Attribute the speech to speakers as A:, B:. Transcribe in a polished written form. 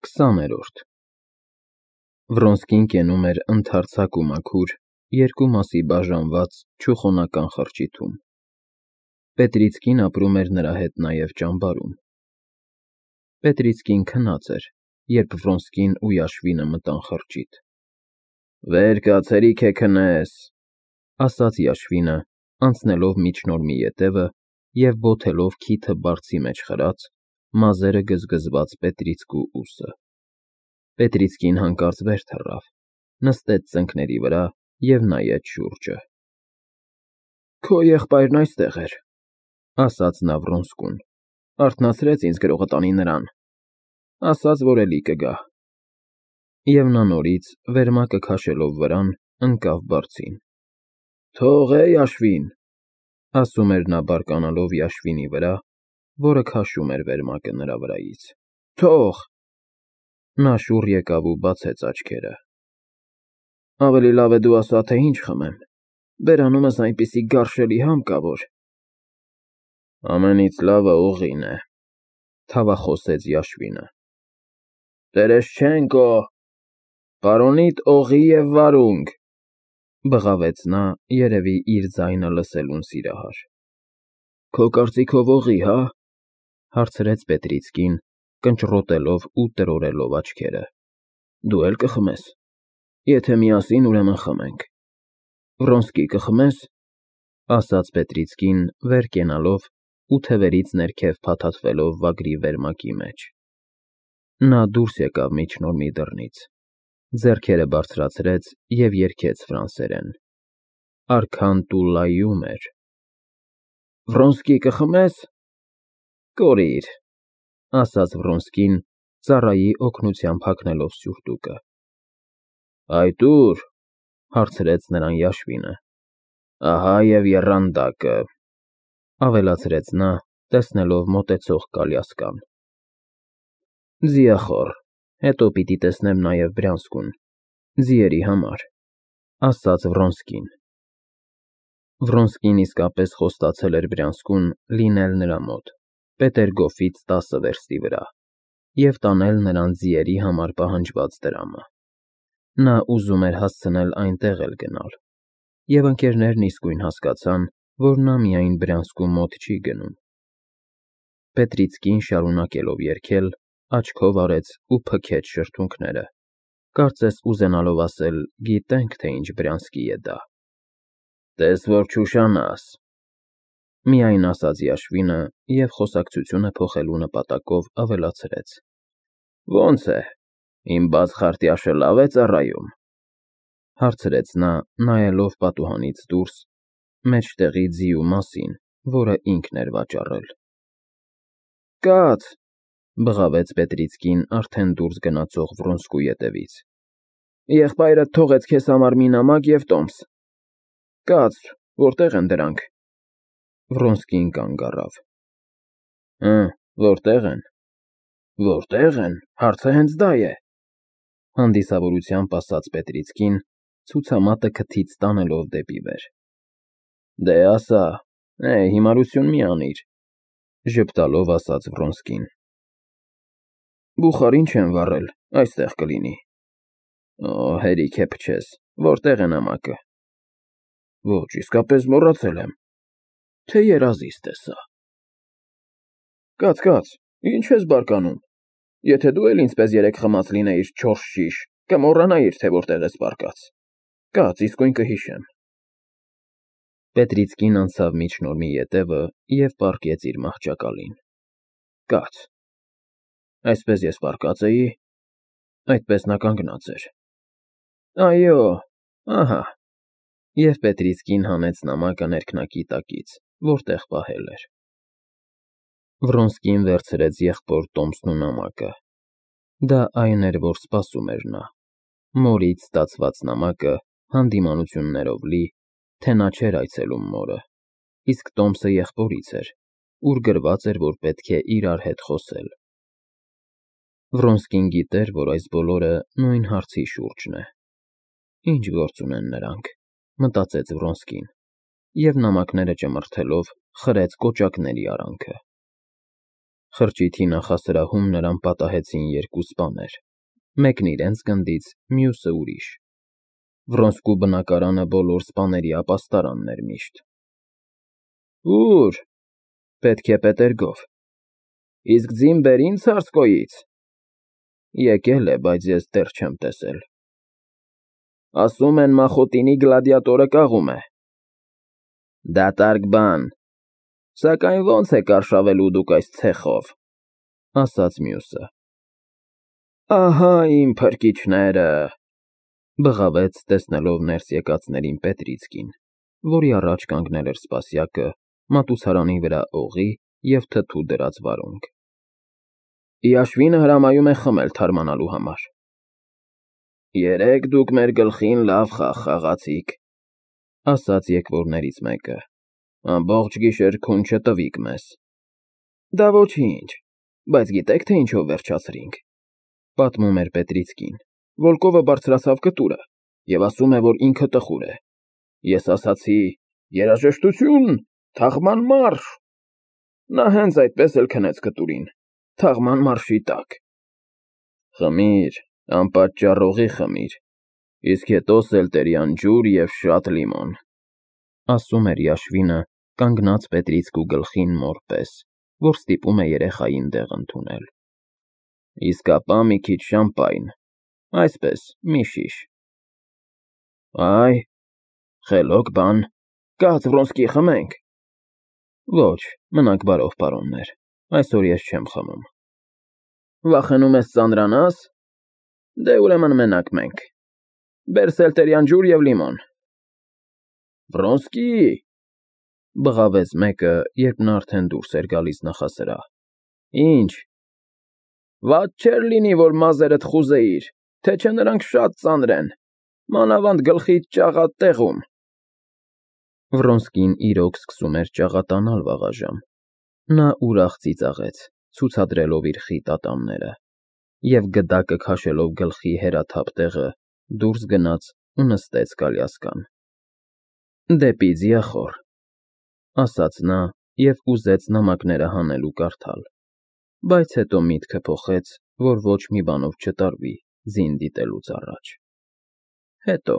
A: 20-րդ Վրոնսկին կենում էր ընդարձակ ու մաքուր, երկու մասի բաժանված չուխոնական խրճիթում։ Պետրիցկին ապրում էր նրա հետ նաև ճամբարում։ Պետրիցկին քնած էր, երբ Վրոնսկին ու Yashvin-ը մտան խրճիթ։ «Վեր կաց, հերիք է քնես», ասաց Yashvin-ը, անցնելով միջնորմի ետևը և բոթելով քիթը բարձի մեջ խրած, մազերը գզգզված Պետրիցկու ուսը։ Պետրիցկին հանկարծ վեր թռավ, նստեց ծնկների վրա և նայեց շուրջը։ «Քո եղբայրն այստեղ էր,֊ ասաց նա Վրոնսկուն,֊ արթնացրեց ինձ գրողը տանի նրան, ասաց, որ էլի կգա»։ Եվ նա նորից, վերմակը քաշելով վրան, ընկավ բարձին։ «Թող է, Yashvin,֊ ասում էր նա բարկանալով Yashvin-ի վրա, որը քաշում էր վերմակը նրա վրայից,֊ թող»։ Նա շուռ եկավ ու բացեց աչքերը։ «Ավելի լավ է դու ասա, թե ինչ խմեմ, բերանումս այնպիսի գարշելի համ կա, որ…»։ «Ամենից լավը օղին է,֊ թավախոսեց Yashvin-ը։ «Տերեշչենկո, պարոնիդ օղի և վարունգ,֊ բղավեց նա, երևի իր ձայնը լսելուն սիրահար։ «Քո կարծիքով օղի, հա՞…֊ հարցրեց Պետրիցկին, կնճռոտելով ու տրորելով աչքերը։֊ Դու էլ կխմես։ Եթե միասին, ուրեմն խմենք։ Վրոնսկի, կխմես,֊ ասաց Պետրիցկին, վեր կենալով ու թևերից ներքև փաթաթվելով վագրի վերմակի մեջ։ Նա դուրս եկավ միջնորմի դռնից, ձեռքերը բարձրացրեց և երգեց ֆրանսերեն. «Արքան տուլլայում էր»։ «Վրոնսկի, կխմես,֊ Կորիր,֊ ասաց Վրոնսկին, ծառայի օգնությամբ հագնելով սուրտուկը։ «Այդ ո՞ւր,֊ հարցրեց նրան Yashvin-ը։ «Ահա և եռանդակը,֊ ավելացրեց նա, տեսնելով մոտեցող կալյասկան։ «Ձիախոռ, հետո պիտի տեսնեմ նաև Բրյանսկուն, ձիերի համար,֊ ասաց Վրոնսկին։ Վրոնսկին իսկապես խոստացել էր Բրյանսկուն լինել նրա մոտ, Պետերգոֆից 10 վերստի վրա, և տանել նրան ձիերի համար պահանջված դրամը։ Նա ուզում էր հասցնել այնտեղ էլ գնալ, և ընկերներն իսկույն հասկացան, որ նա միայն Բրյանսկու մոտ չի գնում։ Պետրիցկին, շարունակելով երգել, աչքով արեց ու փքեց շրթունքները, կարծես ուզենալով ասել. «Գիտենք, թե ինչ Բրյանսկի է դա»։ «Տես որ չուշանաս,֊ միայն ասաց Yashvin-ը և խոսակցությունը փոխելու նպատակով ավելացրեց. «Ո՞նց է, իմ բաց խարտյաշը լավ է ծառայում,֊ հարցրեց նա, նայելով պատուհանից դուրս, մեջտեղի ձիու մասին, որը ինքն էր վաճառել։ «Կաց,֊ բղավեց Պետրիցկին արդեն դուրս գնացող Վրոնսկու ետևից,֊ եղբայրդ թողեց քեզ համար մի նամակ և տոմս։ Կաց, որտե՞ղ են դրանք»։ Վրոնսկին կանգ առավ։ Որտե՞ղ են։ «Որտե՞ղ են, հարցը հենց դա է,֊ հանդիսավորությամբ ասաց Պետրիցկին, ցուցամատը քթից տանելով դեպի վեր։ «Դե ասա, հիմարություն մի անիր,֊ ժպտալով ասաց Վրոնսկին։ «Բուխարին չեմ վառել, այստեղ կլինի»։ Հերիք է փչես, որտե՞ղ է նամակը։ «Ոչ, իսկապես մոռացել եմ, թե երազիստ է սա»։ «Կաց, ինչ ես բարկանում, եթե դու էլ ինձ պես երեկ խմած լինեիր 4 շիշ, կմոռանայիր, թե որտեղ ես պառկած։ Կաց, իսկույն կհիշեմ»։ Պետրիցկին անցավ միջնորմի ետևը և պառկեց իր մահճակալին։ Կաց։ Այսպես ես պառկած էի, այդպես նա կանգնած էր։ Այո, ահա։ Եվ Պետրիցկին հանեց նամակը ներքնակի տակից, որտեղ պահել էր։ Վրոնսկին վերցրեց եղբոր տոմսն ու նամակը։ Դա այն էր, որ սպասում էր նա, մորից ստացված նամակը հանդիմանություններով լի, թե նա չէր այցելում մորը, իսկ տոմսը եղբորից էր, ուր գրված էր, որ պետք է իրար հետ խոսել։ Վրոնսկին գիտեր, որ այս բոլորը նույն հարցի շուրջն է։ Ինչ գործ ունեն նրանք, մտածեց Վրոնսկին, և նամակները ճմրթելով, խրեց կոճակների արանքը։ Խրճիթի նախասրահում նրան պատահեցին երկու սպաներ, մեկն իրենց գնդից, մյուսը ուրիշ։ Վռոնսկու բնակարանը բոլոր սպաների ապաստարանն էր միշտ։ Ո՞ւր։ Պետք է Պետերգոֆ։ Իսկ ձին բերին Ցարսկոյից։ Եկել է, բայց ես դեռ չեմ տեսել։ Ասում են Մախոտինի գլադիատորը կաղում է։ Դատարկ բան։ Սակայն ո՞նց եք արշավելու դուք այս ցեխով, ասաց մյուսը։ Ահա իմ փրկիչները, բղավեց տեսնելով ներս եկածներին Պետրիցկին, որի առաջ կանգնել էր սպասյակը, մատուցարանի վրա օղի և թթու դրած վարունգ։ Իաշվինը հրամայում է խմել թարմանալու համար։ Երեկ դուք մեր գլխին լավ խաղ խաղացիք, ասաց եկվորներից մեկը։ Ամբողջ գիշեր քուն չտվիք մեզ։ Դա ոչինչ, բայց գիտեք, թե ինչով վերջացրինք, պատմում էր Պետրիցկին։ Վոլկովը բարձրացավ կտուրը և ասում է, որ ինքը տխուր է։ Ես ասացի. երաժշտություն, թաղման մարշ։ Նա հենց այդպես էլ քնեց կտուրին, թաղման մարշի տակ։ Խմիր, անպատճառ օղի խմիր, իսկ հետո սելտերյան ջուր և շատ լիմոն, ասում էր Իաշվինը, կանգնած Պետրիցկու գլխին մոր պես, որ ստիպում է երեխային դեղ ընդունել։ Իսկ ապա մի քիչ շամպայն, այսպես, մի շիշ։ Այ, խելոք բան, կաց Վռոնսկի խմենք։ Ոչ, մնաք բարով, պարոններ, այսօր ես չեմ խմում։ Վախենում ես ծանրանաս։ Դե ուրեմն մենակ մենք։ Բեր սելտերյան ջուր և լիմոն։ Վռոնսկի, բղավեց մեկը, երբ նա արդեն դուրս էր գալիս նախասրահ։ Ինչ։ Վատ չէր լինի, որ մազերդ խուզեիր, թե չէ նրանք շատ ծանր են, մանավանդ գլխիդ ճաղատեղում։ Վռոնսկին իրոք սկսում էր ճաղատանալ վաղաժամ։ Նա ուրախ ծիծաղեց, ցուցադրելով իր խիտ ատամները, և գդակը քաշելով գլխի հերաթափ տեղը, դուրս գնաց ու նստեց կալյասկան։ Դեպի ձիախոռ, ասաց նա և ուզեց նամակները հանել ու կարդալ, բայց հետո միտքը փոխեց, որ ոչ մի բանով չտարվի ձին դիտելուց առաջ։ Հետո։